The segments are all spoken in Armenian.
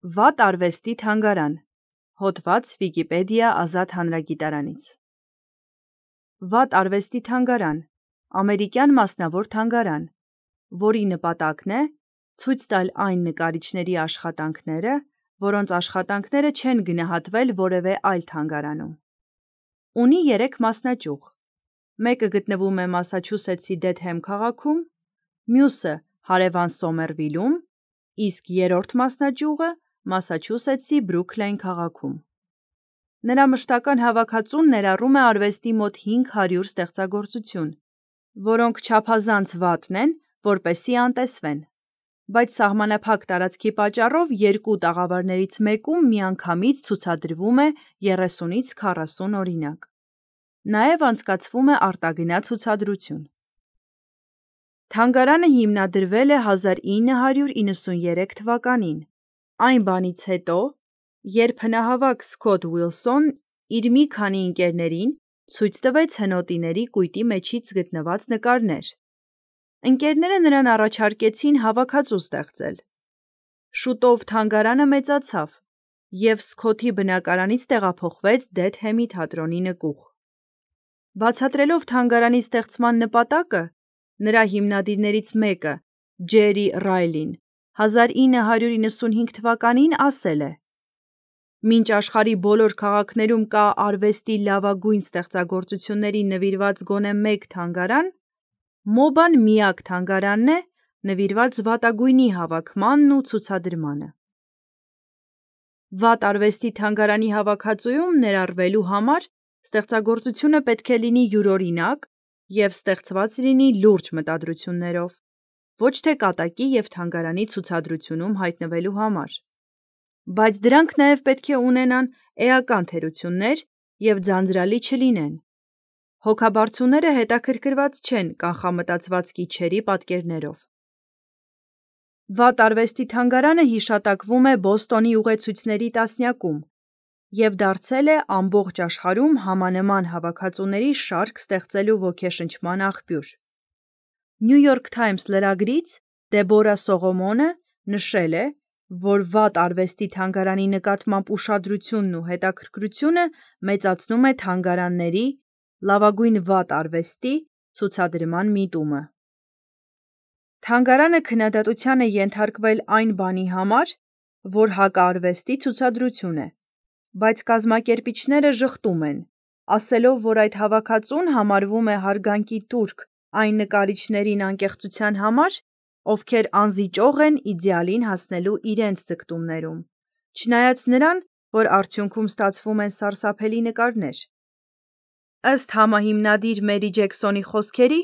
Վատ արվեստի թանգարան։ Հոդված Վիկիպեդիա ազատ հանրագիտարանից։ Վատ արվեստի թանգարան ամերիկյան մասնավոր թանգարան, որի նպատակն է ցույց տալ այն նկարիչների աշխատանքները, որոնց աշխատանքները չեն գնահատվել որևէ այլ թանգարանում։ Ունի 3 մասնաճյուղ։ Մեկը գտնվում է Մասաչուսեթսի Դեթհեմ քաղաքում, մյուսը հարևան Սոմերվիլում, իսկ երրորդ մասնաճյուղը Մասաչուսեթսի Բրուքլին քաղաքում։ Նրա մշտական հավաքածուն ներառում է արվեստի մոտ 500 ստեղծագործություն, որոնք չափազանց վատն են, որպեսզի անտեսվեն, բայց սահմանափակ տարածքի պատճառով երկու տաղավարներից մեկում միանգամից ցուցադրվում է 30-ից 40 օրինակ։ Նաև անցկացվում է արտագնա ցուցադրություն։ Թանգարանը հիմնադրվել է 1993 թվականին, այն բանից հետո, երբ հնահավաք Սքոթ Ուիլսոն իր մի քանի ընկերներին ցույց տվեց հնոտիների կույտի մեջից գտնված նկարներ։ Ընկերները նրան առաջարկեցին հավաքածու ստեղծել։ Շուտով թանգարանը մեծացավ, և Սքոթի բնակարանից տեղափոխվեց Դեթհեմի թատրոնի նկուղ։ Բացատրելով թանգարանի ստեղծման նպատակը, նրա հիմնադիրներից մեկը՝ Ջերի Ռայլին, 1995 թվականին ասել է. «Մինչ աշխարհի բոլոր քաղաքներում կա արվեստի լավագույն ստեղծագործություններին նվիրված գոնե մեկ թանգարան, ՄՕԲԱ-ն միակ թանգարանն է նվիրված վատագույնի հավաքմանն ու ցուցադրմանը»։ Վատ արվեստի թանգարանի հավաքածուում ներառվելու համար ստեղծագործությունը պետք է լինի յուրօրինակ և ստեղծված լինի լուրջ մտադրություններով, ոչ թե կատակի և թանգարանի ցուցադրությունում հայտնվելու համար, բայց դրանք նաև պետք է ունենան էական թերություններ և ձանձրալի չլինեն։ Հոգաբարձուները հետաքրքրված չեն կանխամտածված կիչերի պատկերներով։ Վատ արվեստի թանգարանը հիշատակվում է Բոստոնի ուղեցույցների տասնյակում և դարձել է ամբողջ աշխարհում համանման հավաքածուների շարք ստեղծելու ոգեշնչման աղբյուր։ New York Times լրագրից Դեբորա Սողոմոնը նշել է, որ վատ արվեստի թանգարանի նկատմամբ ուշադրությունն ու հետաքրքրությունը մեծացնում է թանգարանների «լավագույն վատ արվեստի» ցուցադրման միտումը։ Թանգարանը քննադատության է ենթարկվել այն բանի համար, որ հակարվեստի ցուցադրություն է, բայց կազմակերպիչները ժխտում են, ասելով, որ այդ հավաքածուն համարվում է հարգանքի տուրք այն նկարիչներին անկեղծության համար, ովքեր անզիջող են իդեալին հասնելու իրենց ձգտումներում, չնայած նրան, որ արդյունքում ստացվում են սարսափելի նկարներ։ Ըստ համահիմնադիր Մերի Ջեքսոնի խոսքերի,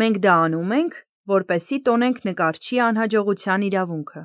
մենք դա անում ենք, որպեսզի տոնենք նկարչի անհաջողության իրավունքը։